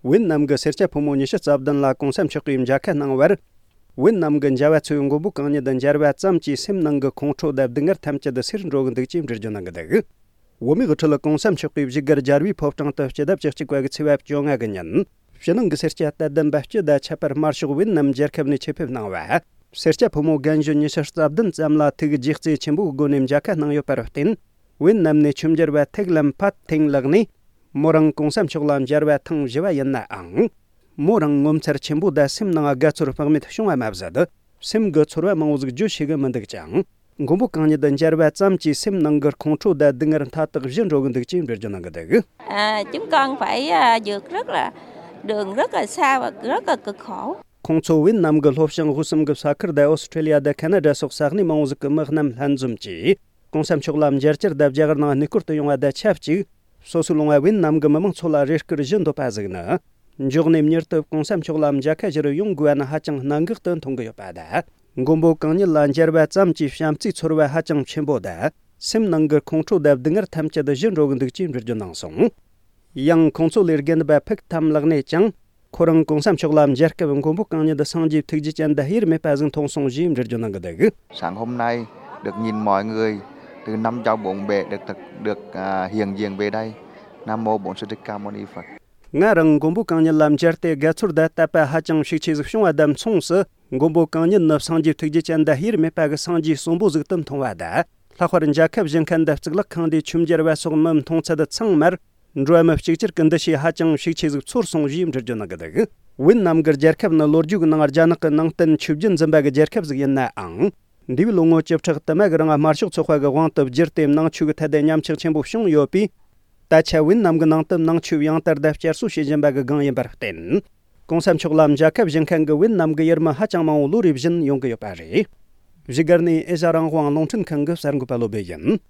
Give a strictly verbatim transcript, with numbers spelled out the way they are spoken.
ཝེད་ནམ་གྱི་སེར་སྐྱ་ཕོ་མོ་ཉི་ཤུ་རྩ་བདུན་ལ་གོང་ས་མཆོག་གིས་མཇལ་ཁ་གནང་བར། ཝེད་ནམ་གྱི་མཇལ་བ་ཚོས་མགོན་པོ་གང་ཉིད་འདི་མཇལ་བ་ཙམ་གྱིས་སེམས་ནང་གི་ཁོང་ཁྲོ་དང་སྡུག་བསྔལ་ཐམས་ཅད་སེལ་འགྲོ་གི་འདུག་ཅེས་འགྲེལ་བརྗོད་གནང་གི་འདུག་བོད་མིའི་དབུ་ཁྲིད་གོང་ས་མཆོག་གིས་བཞུགས་སྒར་རྒྱལ་བའི་ཕོ་བྲང་དུ་སྤྱི་ཟླ་བཅུ་གཅིག་པ་གི་ཚེས་པ་བཅོ་ལྔ་གི་ཉིན། ཕྱི་ནང་གི་སེར་སྐྱ་དད་ལྡན་པ་སྤྱི་དང་ཁྱད་པར་དམར་ཤོག་ཝེད་ནམ་རྒྱལ་ཁབ་ནས་ཆེད་ཕེབས་གནང་བ། སེར་སྐྱ་ཕོ་མོ་རྒན་གཞོན་ཉི་ཤུ་རྩ་བདུན་ཙམ་ལ་ཐུགས་རྗེ་བརྩེ་ཆེན་པོའི་སྒོ་ནས་མཇལ་ཁ་གནང་ཡོད་པར་བརྟེན། ཝེད་ནམ་ནས་ཆོས་འབྱོར་བ་ཐེག་ལམ་ཕད་ཐེང་ལགས་ནས། མོ་རང་གོང་ས་མཆོག་ལ་མཇལ་བ་ཐེངས་བཞི་པ་ཡིན་ནའང་། མོ་རང་ངོ་མཚར་ཆེན་པོ་དང་སེམས་ནང་དགའ་ཚོར་དཔག་མེད་བྱུང་བ་མ་ཟད། སེམས་ཀྱི་ཚོར་བ་མང་བོ་ཟིག་བརྗོད་ཤེས་གི་མི་འདུག་ཅིང་། མགོན་པོ་གང་ཉིད་དུ་མཇལ་བ་ཙམ་གྱིས་སེམས་ནང་གི་ཁོང་ཁྲོ་དང་སྡུག་བསྔལ་མཐའ་དག་ཞི་འགྲོ་གི་འདུག་ཅེས་འགྲེལ་བརྗོད་གནང་གི་འདུག་ཨ། Chúng con phải, à, vượt rất là, đường rất là xa và rất là cực khổ. ཁོང་ཚོ་ཝེད་ནམ་གྱི་ལྷོ་བྱང་དབུས་གསུམ་གྱི་ས་ཁུལ་དང་ཨོ་སི་ཁྲེ་ལི་ཡ་དང་ཁ་ན་ཌ་སོགས་ས་གནས་མང་བོ་ཟིག་གི་མི་རྣམས་ལྷན་འཛོམས་ཀྱིས། གོང་ས་མཆོག་ལ་མཇལ་བཅར་དང་རྒྱ་གར་ནང་གནས་སྐོར་དུ་ཡོང་བ་དང་ཆབས་ཅིག་སོ་སོའི་ལུང་བ་ཝེད་ནམ་གྱི་མི་མང་ཚོ་ལ་རེ་སྐུལ་ཞུ་འདོད་པ་ཟིག་ནི། མགྱོགས་ནས་མྱུར་དུ་གོང་ས་མཆོག་ལ་མཇལ་ཁ་ཞུ་རུ་ཡོང་དགོས་པ་ནི་ཧ་ཅང་གནད་འགག་ཏུ་མཐོང་གི་ཡོད་པ་དང་། མགོན་པོ་གང་ཉིད་ལ་མཇལ་བ་ཙམ་གྱིས་བྱམས་བརྩེའི་ཚོར་བ་ཧ་ཅང་ཆེན་པོ་དང་། སེམས་ནང་གི་ཁོང་ཁྲོ་དང་སྡུག་བསྔལ་ཐམས་ཅད་ཞི་འགྲོ་གི་འདུག་ཅེས་འགྲེལ་བརྗོད་གནང་སོང་། ཡང་ཁོང་ཚོ་ལས་རྒན་པ་ཕུག་ཐམ་ལགས་ནས་ཀྱང་། ཁོ་རང་གོང་ས་མཆོག་ལ་མཇལ་སྐབས་མགོན་པོ་གང་ཉིད་སངས་རྒྱས་ཐུགས་རྗེ་ཅན་དང་དབྱེར་མེད་པ་ཟིག་མཐོང་སོང་ཞེས་འགྲེལ་བརྗོད་གནང་གི་འདུག Sáng hôm nay được nhìn mọi người từ năm châu bốn bể được thực được à, hiện diện về đây. Nam mô Bổn Sư Thích Ca Mâu Ni Phật. ང་རང་མགོན་པོ་གང་ཉིད་ལ་མཇལ་ཏེ་དགའ་ཚོར་དང་དད་པ་ཧ་ཅང་ཤུགས་ཆེ་ཟིག་བྱུང་བ་དང་མཚུངས་སུ། མགོན་པོ་གང་ཉིད་ནི་སངས་རྒྱས་ཐུགས་རྗེ་ཅན་དང་དབྱེར་མེད་པ་གི་སངས་རྒྱས་གསོན་པོ་ཟིག་ཏུ་མཐོང་བ་དང་། ལྷག་པར་མཇལ་ཁ་བཞེས་མཁན་དང་གཙུག་ལག་ཁང་དེའི་ཆོས་འབྱོར་བ་སོགས་མི་མཐོང་ཚད་ཚང་མར། འགྲོ་བ་མི་གཅིག་གྱུར་གྱི་འདུ་ཤེས་ཧ་ཅང་ཤུགས་ཆེ་ཟིག་ཚོར་སོང་ཞེས་འགྲེལ་བརྗོད་གནང་གི་འདུག་ཝེད་ནམ་གྱི་རྒྱལ་ཁབ་ནི་ལོ་རྒྱུས་ཀྱི་ནང་རྒྱ་ནག་གི་ནང་བསྟན་ཆོས་བརྒྱུད་འཛིན་པ་གི་རྒྱལ་ཁབ་ཟིག་ཡིན་ནའང་། འདས་པའི་ལོ་ངོ་བཅུ་ཕྲག་དུ་མ་གི་རིང་དམར་ཤོག་ཚོགས་པ་གི་དབང་དུ་བསྒྱུར་ཏེ་ནང་ཆོས་ཀྱི་ཐད་དུ་ཉམས་ཆག་ཆེན་པོ་བྱུང་ཡོད་པས། ད་ཆ་ཝེད་ནམ་གྱི་ནང་དུ་ནང་ཆོས་ཡང་དར་དང་བསྐྱར་གསོ་བྱེད་བཞིན་པ་གི་སྒང་ཡིན་པར་བརྟེན། གོང་ས་མཆོག་ལ་མཇལ་ཁ་བཞེས་མཁན་གྱི་ཝེད་ནམ་གྱི་ཡུལ་མི་ཧ་ཅང་མང་བོ་ལོ་རེ་བཞིན་ཡོང་གི་ཡོད་པ་རེད། བཞུགས་སྒར་ནས་ཨེ་ཤ་རང་དབང་རླུང་འཕྲིན་ཁང་གི་གསར་འགོད་པ་བློ་བྷེ་ཡིན།